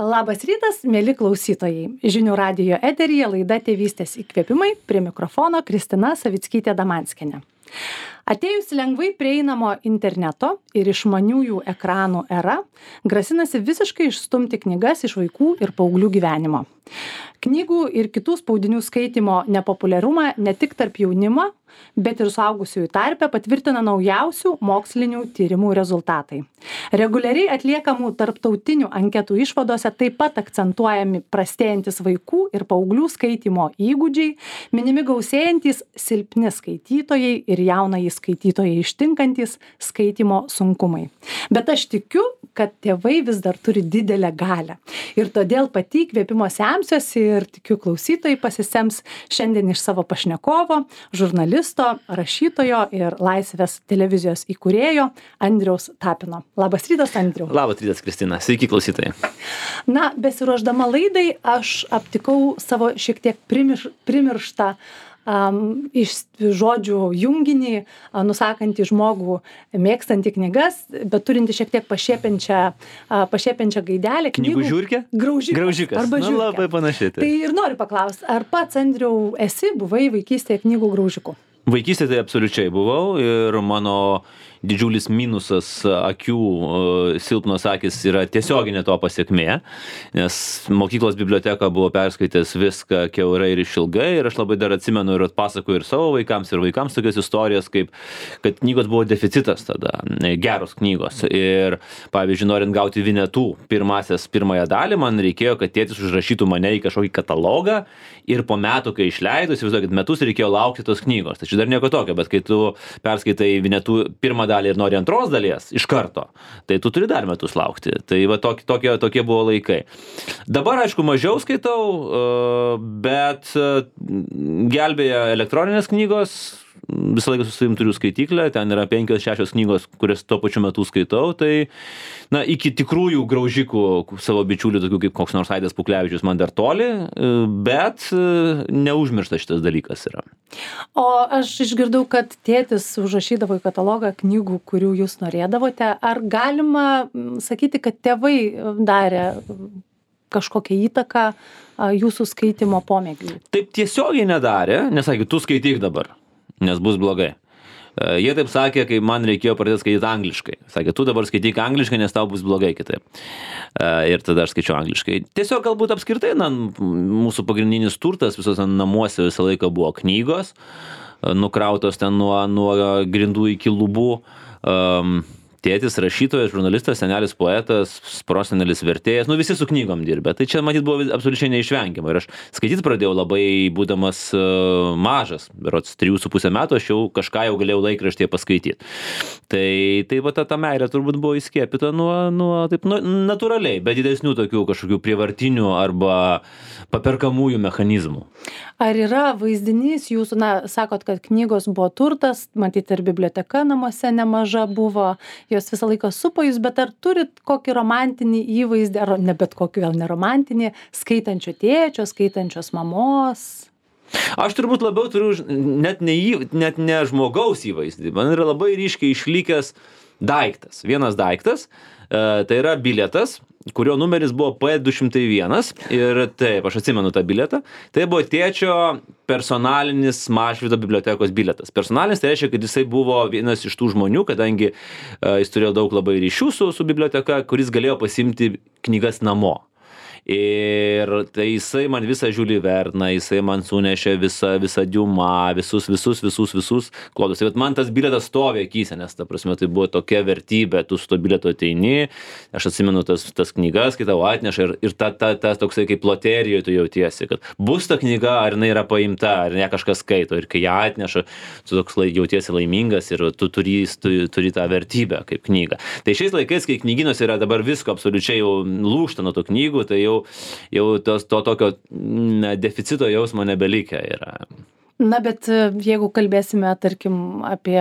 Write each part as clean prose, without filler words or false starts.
Labas rytas, mėly klausytojai. Žinių radijo eteryje laida Tėvystės įkvėpimai, prie mikrofono Kristina Savickytė-Damanskienė. Atėjus lengvai prieinamo interneto ir išmaniųjų ekranų era, grasinasi visiškai išstumti knygas iš vaikų ir paauglių gyvenimo. Knygų ir kitų spaudinių skaitymo nepopuliarumą ne tik tarp jaunimo, bet ir suaugusiųjų tarpe patvirtina naujausių mokslinių tyrimų rezultatai. Reguliariai atliekamų tarptautinių anketų išvadose taip pat akcentuojami prastėjantis vaikų ir paauglių skaitymo įgūdžiai, minimi gausėjantys silpni skaitytojai ir jaunąjį skaitytojai ištinkantis skaitymo sunkumai. Bet aš tikiu, kad tėvai vis dar turi didelę galią. Ir todėl pati įkvėpimo semsiuosi ir tikiu klausytojai pasisems šiandien iš savo pašnekovo, žurnalisto, rašytojo ir Laisvės televizijos įkūrėjo Andriaus Tapino. Labas rytas, Andriau. Labas rytas, Kristina. Sveiki, klausytojai. Na, besiruošdama laidai, aš aptikau savo šiek tiek primirštą iš žodžių junginį, nusakantį žmogų mėgstantį knygas, bet turinti šiek tiek pašiepiančią gaidelę. Knygų žiurkė? Graužikas. Arba žiurkė. Labai panašiai. Tai ir noriu paklausti, ar pats, Andriau, buvai vaikystėje knygų graužiku? Vaikystėje tai absoliučiai buvau ir mano didžiulis minusas akių, silpnos akys yra tiesioginė to pasiekmė, nes mokyklos biblioteka buvo perskaitęs viską kiaurai ir išilgai ir aš labai dar atsimenu ir atpasakoju ir savo vaikams tokias istorijas, kaip kad knygos buvo deficitas tada, geros knygos. Ir pavyzdžiui, norint gauti Vinetų pirmąją dalį, man reikėjo, kad tėtis užrašytų mane į kažkokį katalogą ir po metų, kai išleido, įsivaizduokit, metus reikėjo laukti tos knygos. Tai čia dar nieko tokio, bet kai tu perskaitai Vinetų pirmą dalį ir nori antros dalies iš karto, tai tu turi dar metus laukti. Tai va tokie buvo laikai. Dabar, aišku, mažiau skaitau, bet gelbėja elektroninės knygos. Visą laiką su savim turiu skaityklę, ten yra 5-6 knygos, kurias tuo pačiu metu skaitau, tai iki tikrųjų graužikų savo bičiulių, tokių kaip koks nors Aidas Puklevičius, man dar toli, bet neužmirštas šitas dalykas yra. O aš išgirdau, kad tėtis užrašydavo į katalogą knygų, kurių jūs norėdavote. Ar galima sakyti, kad tėvai darė kažkokią įtaką jūsų skaitymo pomėgiui? Taip tiesiogiai nedarė, nesakė, tu skaityk dabar, nes bus blogai. Jie taip sakė, kai man reikėjo pradėti skaityti angliškai. Sakė, tu dabar skaityk angliškai, nes tau bus blogai kitaip. Ir tada aš skaičiau angliškai. Tiesiog galbūt apskritai, mūsų pagrindinis turtas visose namuose visą laiką buvo knygos, nukrautos ten nuo grindų iki lubų. Tėtis rašytojas, žurnalistas, senelis poetas, prosenelis vertėjas, visi su knygom dirbė. Tai čia, matyt, buvo absoliučiai neišvengiama. Ir aš skaityti pradėjau labai būdamas mažas, berods 3,5 metų, aš jau kažką galėjau laikraštyje paskaityti. Tai va ta meilė turbūt buvo įskiepyta taip natūraliai, be didesnių tokių kažkokių prievartinių arba paperkamųjų mechanizmų. Ar yra vaizdinys jūsų, sakot, kad knygos buvo turtas, matyt, ir biblioteka namuose nemaža buvo, jos visą laiką supo jūs, bet ar turit kokį romantinį įvaizdį, ar ne bet kokį, gal neromantinį, skaitančio tėčio, skaitančios mamos? Aš turbūt labiau turiu net ne žmogaus įvaizdį. Man yra labai ryškiai išlikęs daiktas. Vienas daiktas, tai yra bilietas, kurio numeris buvo P201 ir taip, aš atsimenu tą bilietą. Tai buvo tėčio personalinis Mažvydo bibliotekos bilietas. Personalinis tai reiškia, kad jisai buvo vienas iš tų žmonių, kadangi jis turėjo daug labai ryšių su biblioteka, kuris galėjo pasiimti knygas namo. Ir tai jisai man visą Žiulį Verną, jisai man sunešė visą Diumą, visus klodus. Tai man tas bilietas stovi akyse, nes ta prasme tai buvo tokia vertybė, tu su to bilietu ateini, aš atsimenu tas knygas, kai tau atneša ir tas toksai kaip loterijoje tu jautiesi, kad bus ta knyga, ar jinai yra paimta, ar ne kažkas skaito, ir kai ją atneša, tu toks jautiesi laimingas ir tu turi tą vertybę kaip knygą. Tai šiais laikais, kai knygynuose yra dabar visko absoliučiai jau lūžta nuo tų knygų, tai jau to tokio deficito jausmo nebelikę yra. Na, bet jeigu kalbėsime, tarkim, apie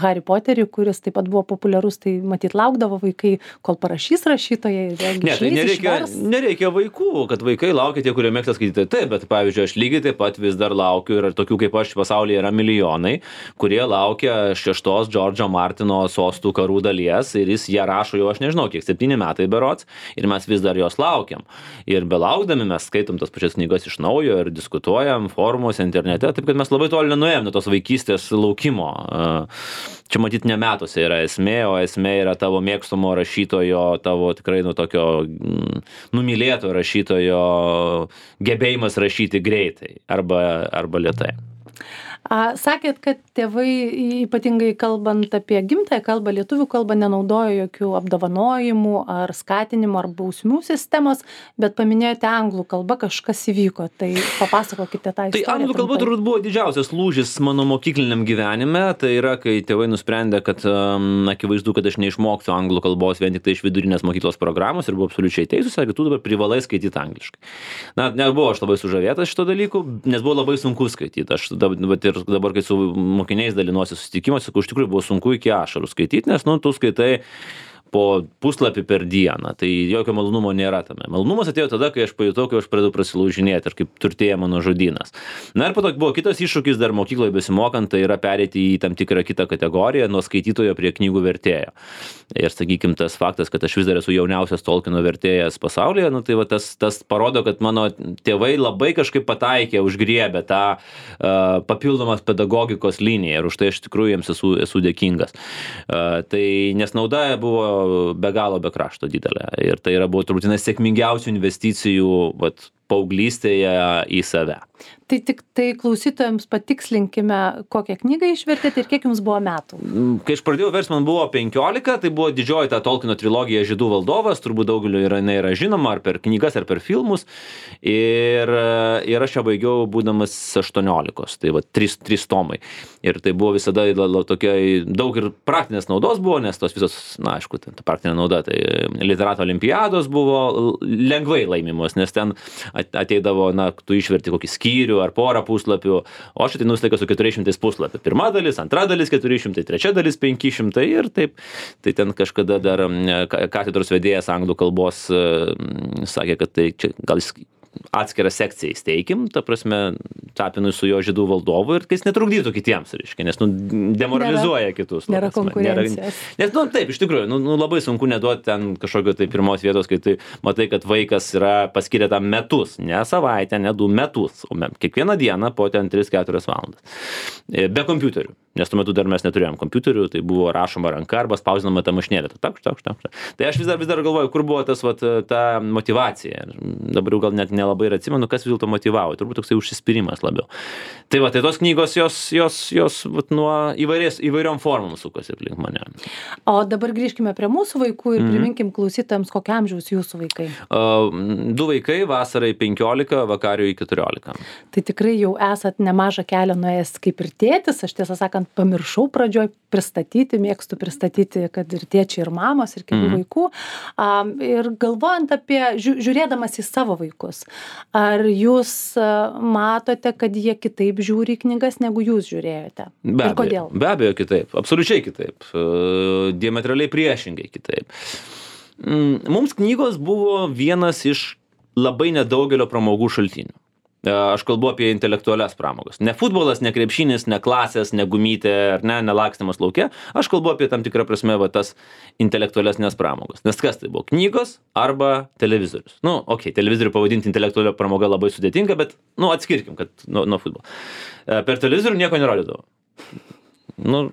Harry Potterį, kuris taip pat buvo populiarus, tai matyt laukdavo vaikai, kol parašys rašytojai. Ne, tai nereikia vaikų, kad vaikai laukia tie, kurie mėgsta skaityti. Taip, bet pavyzdžiui, aš lygiai taip pat vis dar laukiu ir tokių kaip aš pasaulyje yra milijonai, kurie laukia 6 Džordžo Martino Sostų karų dalies ir jis ją rašo jau, aš nežinau, kiek 7 metai berods ir mes vis dar jos laukiam. Ir belaukdami mes skaitom tas pačias knygas iš naujo ir diskutuojam forumuose, internete, taip kad mes labai toli nenuėjom nuo tos vaikystės laukimo. Čia matyt ne metuose yra esmė, o esmė yra tavo mėgstamo rašytojo, tavo tikrai tokio numylėto rašytojo gebėjimas rašyti greitai arba lėtai. Sakėt, kad tėvai, ypatingai kalbant apie gimtąją kalbą, lietuvių kalbą, nenaudojo jokių apdovanojimų ar skatinimų ar bausmių sistemos, bet paminėjote anglų kalbą, kažkas įvyko. Tai papasakokite tą istoriją. Tai anglų kalba turbūt buvo didžiausias lūžis mano mokykliniam gyvenime. Tai yra, kai tėvai nusprendė, kad akivaizdu, kad aš neišmoksiu anglų kalbos vien tik tai iš vidurinės mokyklos programos ir buvo absoliučiai teisūs, sakė, tu dabar privalai skaityti angliškai. Na, nebuvo aš labai sužavėtas šito dalyku, nes buvo labai sunku skaityti. Aš dabar, kai su mokiniais dalinuosi susitikimuose, sakau, iš tikrųjų buvo sunku iki ašarų skaityti, nes, tu skaitai po puslapį per dieną, tai jokio malonumo nėra tame. Malonumas atėjo tada, kai aš pajutau, kai aš pradėjau prasilaužinėti ir kaip turtėja mano žodynas. Na ir po to buvo kitas iššūkis dar mokykloje besimokant, tai yra pereiti į tam tikrą kitą kategoriją nuo skaitytojo prie knygų vertėjo. Ir sakykim, tas faktas, kad aš vis dar esu jauniausias Tolkieno vertėjas pasaulyje, tai va tas parodo, kad mano tėvai labai kažkaip pataikė, užgriebė tą papildomas pedagogikos liniją ir už tai aš tikrųjų jiems esu dėkingas. Tai nes nauda buvo be galo be krašto didelė. Ir tai buvo turbūt vienas sėkmingiausių investicijų paauglystėje į save. Tai klausytojams patikslinkime, kokią knygą išvertėte ir kiek jums buvo metų. Kai aš pradėjau verst, man buvo 15, tai buvo didžioji ta Tolkieno trilogija Žiedų valdovas, turbūt daugeliu jinai yra žinoma, ar per knygas, ar per filmus. Ir aš ją baigiau būdamas 18, tai 3 tomai. Ir tai buvo visada tokia daug ir praktinės naudos buvo, nes tos visos, na aišku, ta praktinė nauda, tai literato olimpiados buvo lengvai laimimos, nes ten ateidavo, tu išverti kokį skyrių ar porą puslapių, o aš ateinu su 400 puslapių. Pirma dalis, antra dalis 400, trečia dalis 500 ir taip. Tai ten kažkada dar katedros vedėjas anglų kalbos sakė, kad tai čia gal atskirą sekciją įsteikim, ta prasme, Tapinui su jo Žydų valdovu ir jis netrukdytų kitiems, reiškia, nes demoralizuoja kitus. Nėra konkurencijos. Nes, taip, iš tikrųjų, labai sunku neduoti ten kažkokio tai pirmos vietos, kai tai matai, kad vaikas yra paskyrę tam metus, ne savaitę, ne 2 metus, o kiekvieną dieną po ten 3-4 valandas. Be kompiuterių, nes tuo metu dar mes neturėjom kompiuterių, tai buvo rašoma ranka arba spausdinama ta mašinėlė. Tai aš vis dar galvoju, kur buvo ta motyvacija. Dabar jau gal net nelabai ir atsimenu, kas vis dėlto motyvavo. Turbūt toksai užsispyrimas labiau. Tai tos knygos, jos nuo įvairiom formom sukosi aplink mane. O dabar grįžkime prie mūsų vaikų ir priminkim klausytojams, kokio amžiaus jūsų vaikai. 2 vaikai, vasarai 15, vakariui 14. Tai tikrai jau esat nemažą kelią nuėjęs kaip ir tėtis. Aš tiesą sakant, pamiršau pradžioj pristatyti, mėgstu pristatyti, kad ir tėčiai, ir mamos, ir kitų vaikų. Ir galvojant apie, žiūrėdamas į savo vaikus, ar jūs matote, kad jie kitaip žiūri knygas, negu jūs žiūrėjote? Ir kodėl? Be abejo kitaip, absoliučiai kitaip, diametraliai priešingai kitaip. Mums knygos buvo vienas iš labai nedaugelio pramogų šaltinių. Aš kalbu apie intelektualias pramogas. Ne futbolas, ne krepšinis, ne klasės, ne gumytė, ar ne lakstymas lauke. Aš kalbu apie tam tikrą prasme tas intelektualesnės pramogas. Nes kas tai buvo? Knygos arba televizorius. Televizorių pavadinti intelektualią pramogą labai sudėtinga, bet atskirkim, kad nuo futbolo. Per televizorių nieko nerodydavo.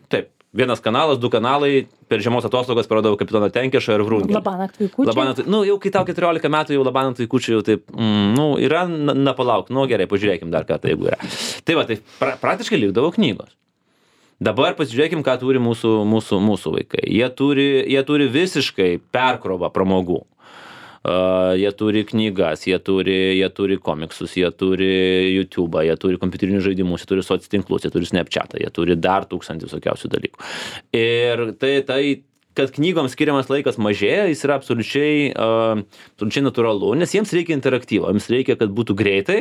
Taip. 1 kanalas, 2 kanalai, per žiemos atostogas parodavo Kapitoną Tenkešą ir Vrungelį. Labanakt vaikučiai. Jau kai tau 14 metų, jau Labanakt vaikučiai jau taip, yra, palauk, gerai, pažiūrėkim dar ką tai jeigu yra. Tai praktiškai likdavo knygos. Dabar pasižiūrėkim, ką turi mūsų vaikai. Jie turi visiškai perkrovą pramogų. Jie turi knygas, jie turi komiksus, jie turi YouTube'ą, jie turi kompiuterinius žaidimus, jie turi sociatinklus, jie turi Snapchat'ą, jie turi dar 1000 visokiausių dalykų. Ir tai kad knygoms skiriamas laikas mažėja, jis yra absoliučiai natūralu, nes jiems reikia interaktyvo, jiems reikia, kad būtų greitai,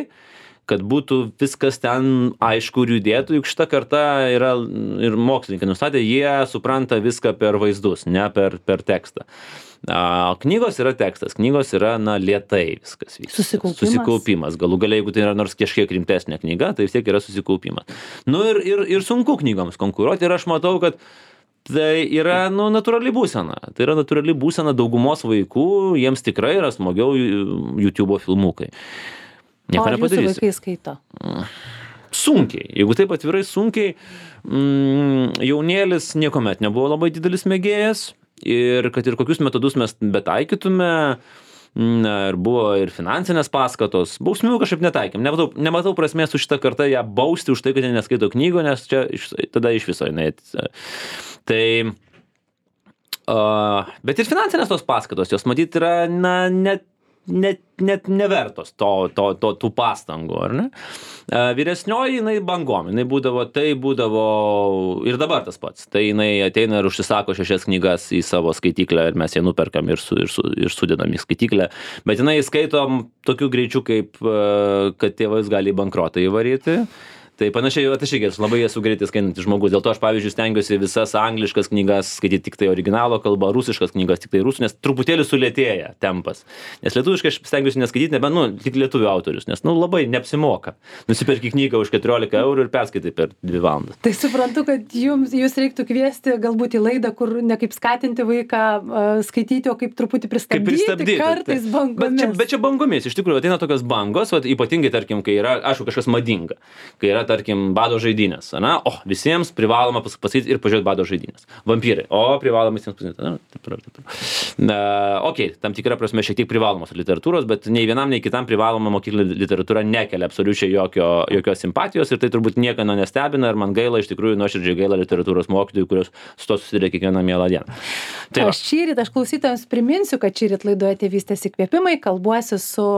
kad būtų viskas ten aišku ir judėtų, juk šita karta yra ir mokslininkai nustatė, jie supranta viską per vaizdus, ne per tekstą. Knygos yra tekstas, knygos yra, lėtai viskas vyksta. Susikaupimas. Galų gale, jeigu tai yra nors kažkiek rimtesnė knyga, tai vis tiek yra susikaupimas. Ir sunku knygoms konkuruoti ir aš matau, kad tai yra, natūrali būsena. Tai yra natūrali būsena daugumos vaikų, jiems tikrai yra smagiau YouTube'o filmukai. Nieko nepadarysi. O jūsų vaikai skaito? Sunkiai. Jeigu taip atvirai sunkiai, jaunėlis niekuomet nebuvo labai didelis mėgėjas ir kad ir kokius metodus mes betaikytume, ir buvo ir finansinės paskatos, bausmių kažkaip netaikėm. Nematau prasmės su šitą kartą ją bausti už tai, kad jie neskaito knygų, nes čia tada iš viso jinai. Tai, bet ir finansinės tos paskatos, jos matyt yra, net nevertos tų pastangų, ar ne? Vyresnioji, jinai bangom, jinai būdavo ir dabar tas pats. Tai jinai ateina ir užsisako 6 knygas į savo skaityklę ir mes ją nuperkam ir sudedam į skaityklę. Bet jinai skaitom tokiu greičiu, kaip kad tėvais gali į bankrotą įvaryti. Tai panašiai, aš irgi labai esu greitai skaitantis žmogus. Dėl to aš, pavyzdžiui, stengiuosi visas angliškas knygas skaityti tik tai originalo kalba, rusiškas knygas tik tai rusų, nes truputėlį sulėtėja tempas. Nes lietuviškai aš stengiuosi neskaityti, nebent, tik lietuvių autorius, nes, labai neapsimoka. Nusiperki knygą už 14 eurų ir perskaitai per 2 valandas. Tai suprantu, kad jūs reiktų kviesti galbūt į laidą, kur ne kaip skatinti vaiką skaityti, o kaip truputį pristabdyti kartais bangomis. Bet čia bangomis, iš tikrųjų, ateina tokios bangos, ypatingai, tarkim, kai yra, aišku, kažkas madinga, kai yra, tarkim, bado žaidynės, visiems privaloma pasakyti ir pažiūrėti bado žaidynės. Vampyrai, privaloma visiems pasakyti. Okei, tam tikra prasme šiek tiek privalomos literatūros, bet nei vienam, nei kitam privaloma mokyklinė literatūra nekelia absoliučiai jokios simpatijos ir tai turbūt nieko nestebina ir man gaila, iš tikrųjų nuoširdžiai gaila literatūros mokytojų, kurios su to susiduria kiekvieną mielą dieną. Aš klausytojams priminsiu, kad šįryt laidoje Tėvystės įkvėpimai kalbuosi su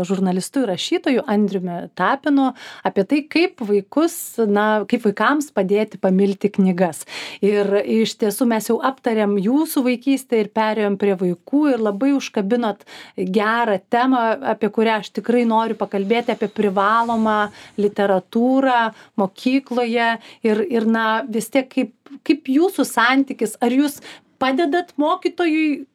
žurnalistu ir rašytoju Andriumi Tapinu apie tai, kaip vaikams padėti pamilti knygas. Ir iš tiesų mes jau aptarėm jūsų vaikystę ir perėjom prie vaikų ir labai užkabinot gerą temą, apie kurią aš tikrai noriu pakalbėti, apie privalomą literatūrą mokykloje ir vis tiek kaip jūsų santykis, ar jūs padedat mokytojui,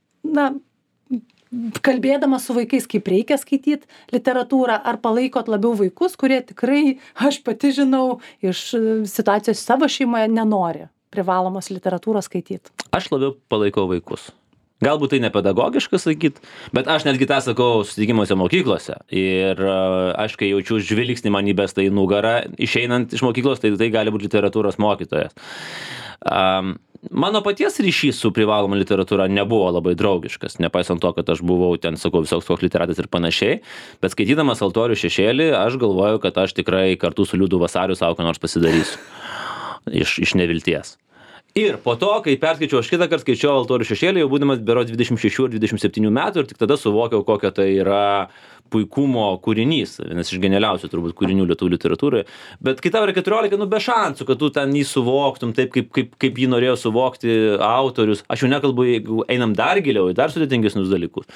kalbėdama su vaikais, kaip reikia skaityti literatūrą, ar palaikot labiau vaikus, kurie tikrai, aš pati žinau, iš situacijos savo šeimoje nenori privalomos literatūros skaityti? Aš labiau palaikau vaikus. Galbūt tai nepedagogiška sakyti, bet aš netgi tą sakau susitikimuose mokyklose. Ir aš, kai jaučiu žvilgsnį man įbestą į nugarą, išeinant iš mokyklos, tai gali būti literatūros mokytojas. Mano paties ryšys su privaloma literatūra nebuvo labai draugiškas, nepaisant to, kad aš buvau ten, sakau, visoks koks literatas ir panašiai, bet skaitydamas Altorių šešėlį, aš galvoju, kad aš tikrai kartu su Liudu Vasariu savo ką nors pasidarysiu iš nevilties. Ir po to, kai perskaičiau, aš kitą kartą skaičiau Altorių šešėlį, jau būdamas berods 26 ar 27 metų ir tik tada suvokiau, kokia tai yra puikumo kūrinys, vienas iš genialiausių turbūt kūrinių lietuvių literatūroje. Bet kai tau yra 14, be šansų, kad tu ten jį suvoktum taip, kaip jį norėjo suvokti autorius. Aš jau nekalbu, jeigu einam dar giliau, į dar sudėtingesnius dalykus.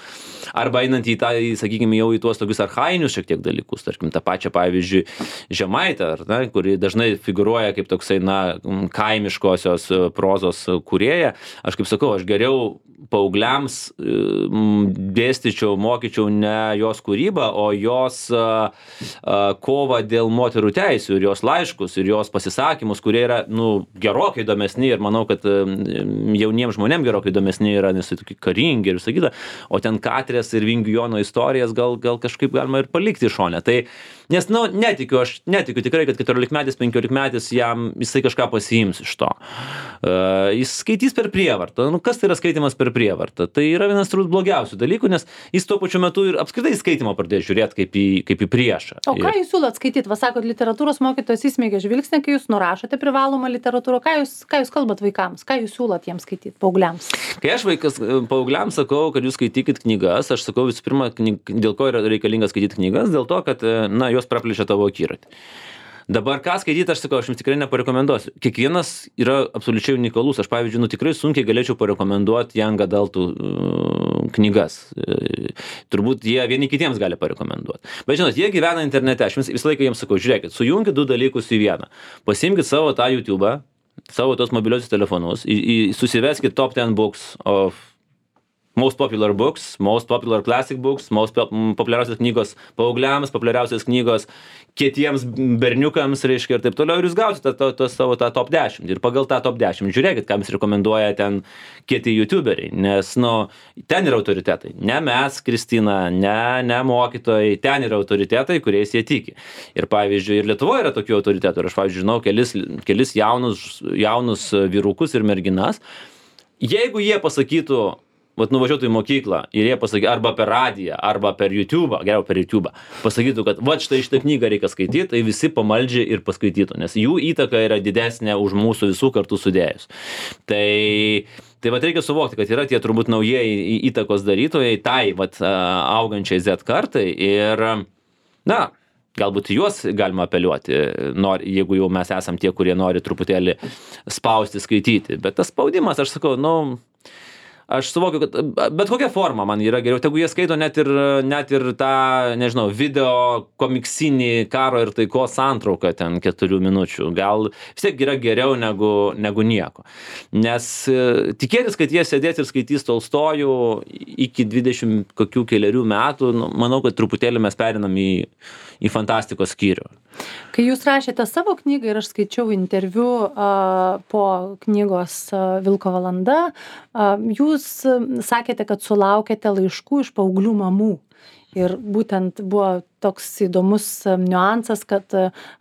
Arba einant į tą, sakykime, jau į tuos tokius archainius šiek tiek dalykus, tarkim, tą pačią, pavyzdžiui, Žemaitę, kuri dažnai figūruoja kaip toksai, kaimiškosios prozos kūrėja. Aš kaip sakau, aš geriau paaugliams dėstyčiau, mokyčiau ne jos kūrybą, o jos kovą dėl moterų teisių ir jos laiškus ir jos pasisakymus, kurie yra, gerokai įdomesni ir manau, kad jauniems žmonėms gerokai įdomesni yra, nes tai tokie karingi ir sakyta, o ten Katrės ir Vingių Jono istorijas gal kažkaip galima ir palikti šone. Tai, nes, netikiu tikrai, kad 14-metis, 15-metis jisai kažką pasiims iš to. Jis skaitys per prievartą. Kas tai yra skaitimas per prievartą? Tai yra vienas turbūt blogiausių dalykų, nes jis tuo pačiu metu ir apskritai skaitimo pradėjo žiūrėti kaip į priešą. O ką jūs siūlot skaityti? Sakot, literatūros mokytojas įsmeigia žvilgsnį, kai jūs nurašote privalomą literatūrą. Ką jūs kalbat vaikams? Ką jūs siūlot jiems skaityti, paaugliams? Kai aš paaugliams sakau, kad jūs skaitykit knygas, aš sakau visų pirma, dėl ko yra reikalinga skaityti knygas, dėl to, kad jos praplečia tavo akiratį. Dabar ką skaityti, aš sakau, aš jums tikrai neparekomenduosiu. Kiekvienas yra absoliučiai unikalus. Aš, pavyzdžiui, tikrai sunkiai galėčiau parekomenduoti young adultų knygas. Turbūt jie vieni kitiems gali parekomenduoti. Bet žinot, jie gyvena internete. Aš visą laiką jiems sakau, žiūrėkit, sujunkit du dalykus į vieną. Pasiimkit savo tą YouTube'ą, savo tos mobiliosius telefonus, susiveskit top 10 books of most popular books, most popular classic books, populiariausios knygos paaugliams, populiariausios knygos kietiems berniukams, reiškia, ir taip toliau, ir jūs gausite savo tą top 10. Ir pagal tą top 10 žiūrėkit, kam jis rekomenduoja ten kieti youtuberiai, nes, ten yra autoritetai. Ne mes, Kristina, ne mokytojai, ten yra autoritetai, kuriais jie tiki. Ir pavyzdžiui, ir Lietuvoje yra tokių autoritetų. Ir aš, pavyzdžiui, žinau kelis jaunus vyrukus ir merginas. Jeigu jie pasakytų, nuvažiuotų į mokyklą ir jie pasakytų, arba per radiją, arba per YouTube'ą, geriau per YouTube'ą, pasakytų, kad štai šitą knygą reikia skaityti, tai visi pamaldžiai ir paskaitytų, nes jų įtaka yra didesnė už mūsų visų kartu sudėjus. Tai reikia suvokti, kad yra tie turbūt naujieji įtakos darytojai, augančiai Z kartai ir, galbūt juos galima apeliuoti, jeigu jau mes esam tie, kurie nori truputėlį spausti, skaityti. Bet tas spaudimas, aš sakau, aš suvokiu, kad bet kokia forma man yra geriau, tegu jie skaito net ir tą, nežinau, video komiksinį karo ir taikos santrauką ten 4 minučių. Gal vis tiek yra geriau negu nieko. Nes tikėtis, kad jie sėdės ir skaitys Tolstojų iki 20 kokių keliarių metų, manau, kad truputėlį mes perinam į fantastikos skyrių. Kai jūs rašėte savo knygą ir aš skaičiau interviu po knygos Vilko valanda, jūs sakėte, kad sulaukėte laiškų iš paauglių mamų. Ir būtent buvo toks įdomus niuansas, kad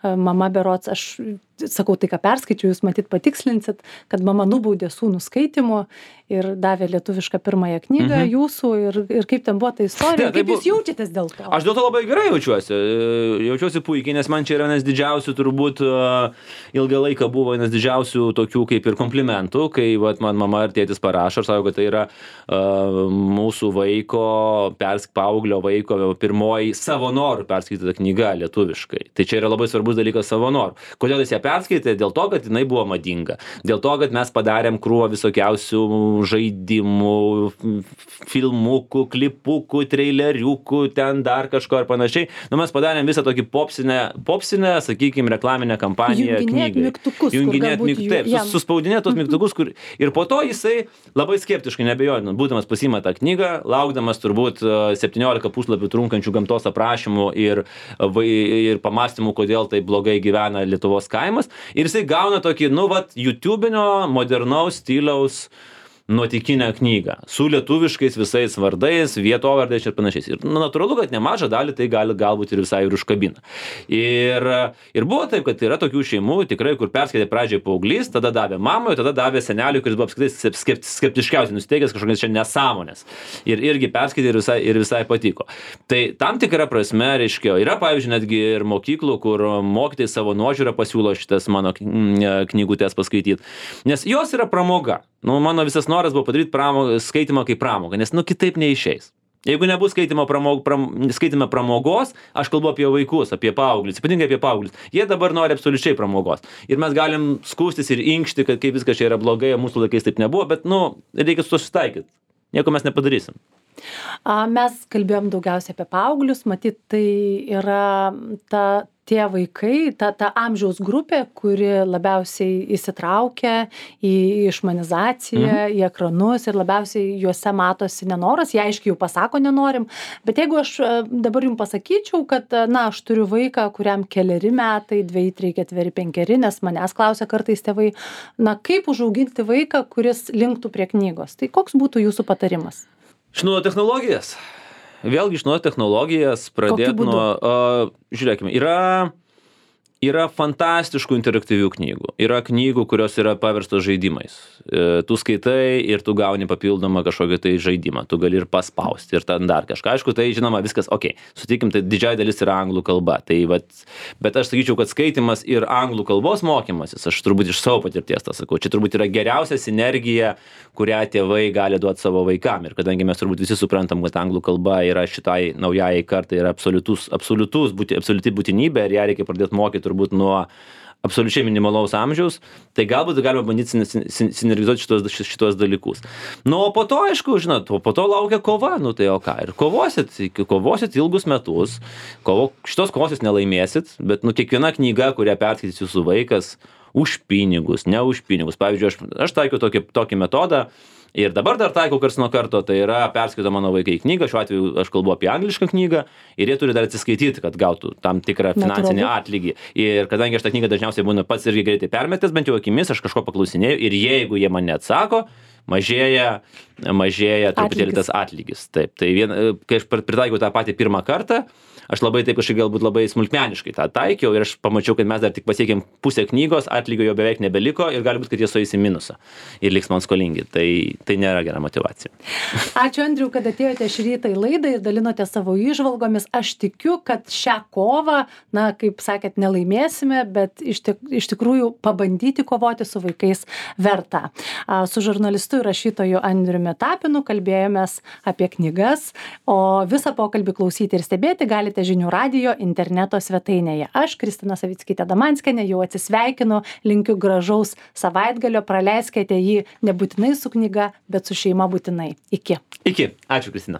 mama berods, aš sakau tai, ką perskaičiau, jūs matyt patikslinsit, kad mama nubaudė sūnų skaitymu ir davė lietuvišką pirmąją knygą jūsų ir kaip ten buvo ta istorija, kaip jūs jaučiatės dėl to? Aš dėl to labai gerai jaučiuosi puikiai, nes man čia yra vienas didžiausių, turbūt ilgą laiką buvo vienas didžiausių tokių kaip ir komplimentų, kai man mama ir tėtis parašo, aš sakau, kad tai yra mūsų vaiko, paauglio vaiko pirmoji savo norų perskaityta knyga lietuviškai. Tai čia yra labai svarbus dalykas savo norų. Kodėl jis ją perskaitė? Dėl to, kad jinai buvo madinga. Dėl to, kad mes padarėm krūvą visokiausių žaidimų, filmukų, klipukų, traileriukų, ten dar kažko ir panašiai. Mes padarėm visą tokį popsinę, sakykime, reklaminę kampaniją knygai. Junginėt mygtukus. Suspaudinėt tos mygtukus, ir po to jisai labai skeptiškai, nebejoju, būdamas pasiima tą knygą, laukdamas turbūt 17 puslapių trunkančių gamtos aprašymų ir pamastymų, kodėl tai blogai gyvena Lietuvos kaimas. Ir jisai gauna tokį, YouTubenio, modernaus stiliaus nuotykinę knygą su lietuviškais visais vardais, vietovardais ir panašiais. Ir natūralu, kad nemažą dalį tai galbūt ir visai ir užkabina. Ir buvo taip, kad yra tokių šeimų, tikrai, kur perskaitė pradžiai paauglys, tada davė mamai, tada davė seneliui, kuris buvo apskritai skeptiškiausiai nusiteikęs kažkokias čia nesąmonės. Ir irgi perskaitė ir visai patiko. Tai tam tikra prasme, reiškia, yra, pavyzdžiui, netgi ir mokyklų, kur mokytojai savo nuožiūrą pasiūlo šitas mano knygutės paskaityti. Nes jos yra pramoga. Mano visas noras buvo padaryti skaitymą kaip pramogą, nes kitaip neišeis. Jeigu nebus skaitime pramogos, aš kalbu apie vaikus, apie paauglius, ypatingai apie paauglius. Jie dabar nori absoliučiai pramogos. Ir mes galim skųstis ir inkšti, kad kaip viskas čia yra blogai, mūsų laikais taip nebuvo, bet reikia su to susitaikyti. Nieko mes nepadarysim. Mes kalbėjom daugiausiai apie paauglius, matyt, tai yra tie vaikai, ta amžiaus grupė, kuri labiausiai įsitraukia į išmanizaciją, į ekranus ir labiausiai juose matosi nenoras, jie aiškiai jau pasako nenorim, bet jeigu aš dabar jums pasakyčiau, kad aš turiu vaiką, kuriam 4 metai, 2, 3, 4, 5, nes manęs klausia kartais tėvai, kaip užauginti vaiką, kuris linktų prie knygos, tai koks būtų jūsų patarimas? Išnaudoti technologijas. Vėlgi išnaudoti technologijas, pradėti žiūrėkime, yra fantastiškų interaktyvių knygų. Yra knygų, kurios yra paverstos žaidimais. Tu skaitai ir tu gauni papildomą kažkokį tai žaidimą. Tu gali ir paspausti ir ten dar kažką. Aišku, tai žinoma viskas, sutikim, tai didžiąja dalis yra anglų kalba. Bet aš sakyčiau, kad skaitimas ir anglų kalbos mokymasis, aš turbūt iš savo patirties tą sakau, čia turbūt yra geriausia sinergija, kurią tėvai gali duoti savo vaikam. Ir kadangi mes turbūt visi suprantam, kad anglų kalba yra šitai naujai kartai yra absoliuti būtinybė ir ją reikia pradėti mokyti turbūt nuo absoliučiai minimalaus amžiaus, tai galbūt galima bandyti sinergizuoti šitos dalykus. Nu, o po to, aišku, žinot, po to laukia kova, nu tai o ką, ir kovosit ilgus metus, šitos kovos jūs nelaimėsit, bet nu kiekviena knyga, kurią perskaitys jūsų vaikas, už pinigus, ne už pinigus. Pavyzdžiui, aš taikiau tokį metodą, ir dabar dar taikau karts nuo karto, tai yra perskaito mano vaikai knygą, šiuo atveju aš kalbu apie anglišką knygą, ir jie turi dar atsiskaityti, kad gautų tam tikrą finansinį atlygį. Ir kadangi aš tą knygą dažniausiai būna pats irgi greitai permetęs, bent jau akimis, aš kažko paklausinėjau, ir jeigu jie man neatsako, mažėja truputėlį tas atlygis. Taip, tai kai aš pritaikiau tą patį pirmą kartą, aš labai taip kažkaip galbūt labai smulkmeniškai tą taikiau ir aš pamačiau, kad mes dar tik pasiekėm pusę knygos, atlygio jo beveik nebeliko ir gali būt, kad jie sueis į minusą ir liks man skolingi. Tai nėra gera motyvacija. Ačiū, Andriau, kad atėjote šį rytą į laidą ir dalinote savo įžvalgomis. Aš tikiu, kad šią kovą, na, kaip sakėt, nelaimėsime, bet iš tikrųjų pabandyti kovoti su vaikais verta. Su žurnalistu ir rašytoju Andriumi Tapinu kalbėjomės apie knygas, o visą pokalbį klausyti ir stebėti galite Žinių radijo interneto svetainėje. Aš, Kristina Savickytė-Damanskienė, jau atsisveikinu, linkiu gražaus savaitgalio, praleiskite jį nebūtinai su knyga, bet su šeima būtinai. Iki. Iki. Ačiū, Kristina.